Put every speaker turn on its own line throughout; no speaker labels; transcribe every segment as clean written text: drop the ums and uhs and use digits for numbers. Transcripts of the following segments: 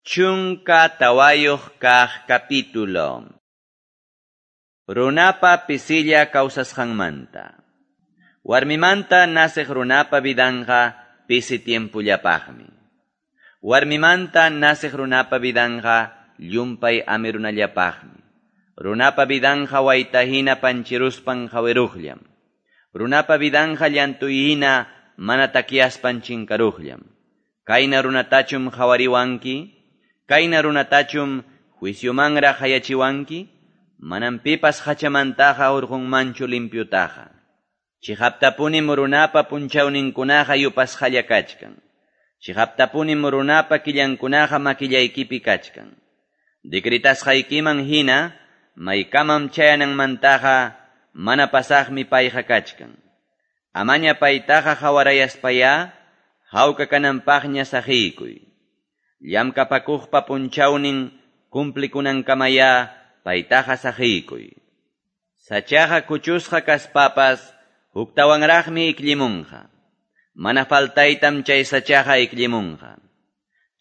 14 kaq capítulo. Runapa pisilla kawsasqanmanta. Warmimanta nasiq runapa vidanqa pisi tiempullapaqmi. Warmimanta nasiq runapa vidanqa llumpay amirunallapaqmi. Runapa vidanqa waytahina panchiruspan hawiruqllam. Runapa vidanqa llantuyhina mana takyaspan chinkaruqllam. Kayna runatachum hawariwanki? Kayna runatachum juiciomanraq hayachiwanki? Manam pipas hachamantaqa hurqunmanchu limpiutaqa. Chiqaptapunim runapa punchawninkunaqa yupasqalla kachkan. Chiqaptapunim runapa killankunaqa makillaykipi kachkan. Decretasqaykiman hina maykamam chayananmantaqa mana pasaqmi payqa kachkan. Amaña paytaqa hawarayaspaya hawka kananpaqña saqiykuy. Llamkapakuqpa punchawnin cumplikunankamaya paytaqa saqiykuy. Sachaqa kuchusqa kaspapas huktawanraqmi ikllimunqa. Mana faltaytam chay sachaqa ikllimunqa.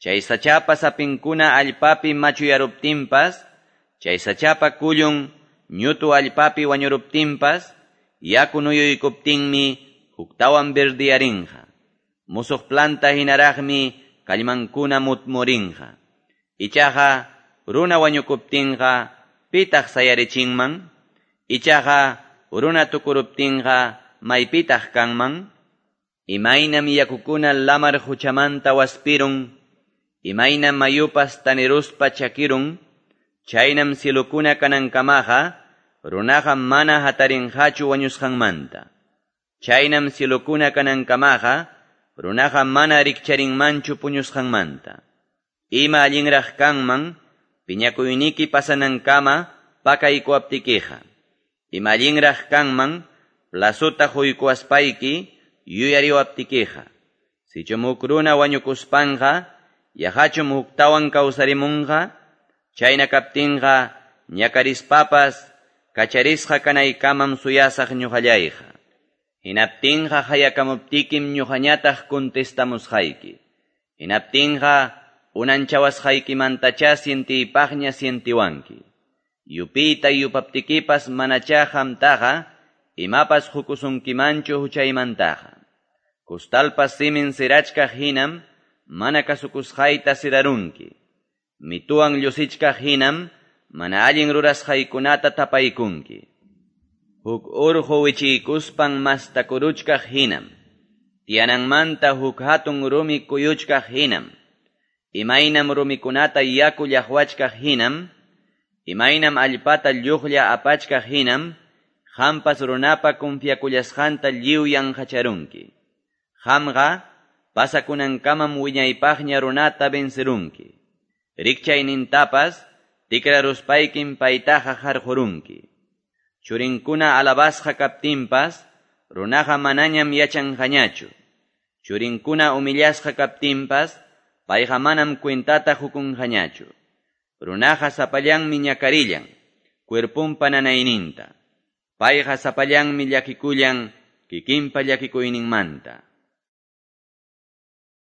Chay sachapa sapinkuna allpapi machuyaruptinpas, chay sachapa kullun ñutu allpapi wañuruptinpas, yaku nuyuykuptinmi huktawan verdiyarinqa. Musuq planta hinaraqmi kallmankuna mutmurinqa. Ichaqa runa wañukuptinqa pitaq sayarichinman? Ichaqa runa tukuruptinqa maypitaq kanman? Imaynam yakukuna lamar huchamanta waspirun, imaynam mayupas taniruspa chakirun, chaynam cielukuna kanankamaqa runaqa mana hatarinqachu wañusqanmanta. Chaynam cielukuna kanankamaqa runaqa mana rikcharinmanchu puñusqanmanta. Ima allinraq kanman, piñakuyniki pasanankama pakaykuwaptikiqa. Ima allinraq kanman, plazota huykuwaspayki yuyariwaptikiqa. Sichum huk runa wañukuspanqa, yaqachum huktawan kawsarimunqa, chayna kaptinqa ñakarispapas kacharisqa kanaykamam suyasaq ñuqallayqa. Hinaptinqa hayakamuptikim ñuqañataq contestamusqayki. Hinaptinqa unanchawasqaykimantachá sientiypaqña sientiwanki. Yupiyta yupaptikipas manachá qamtaqa imapas hukusunkimanchu huchaymantaqa. Kustalpas simin sirachkaq hinam mana kasukusqayta sirarunki. Mituwan llusichkaq hinam mana allin rurasqaykunata tapaykunki. Huk urqu wichiykuspan mastakuruchkaq hinam. Tiyananmanta huk hatun rumi kuyuchkaq hinam. Imaynam rumikunata yaku llaqwachkaq hinam. Imaynam allpata lluqlla apachkaq hinam. Qampas runapa confiakullasqanta lliw yanqacharunki. Qamqa pasakunankamam wiñaypaqña runata vencerunki. Rikchaynintapas tikraruspaykim paytaqa harqurunki. Churinkuna alabasqa kaptinpas, runaqa manañam yachanqañachu. Churinkuna humillasqa kaptinpas, payqa manam cuentata hukunqañachu. Runaqa sapallanmi ñakarillan, cuerpunpa nanayninta. Payqa sapallanmi llakikullan, kikinpa llakikuyninmanta.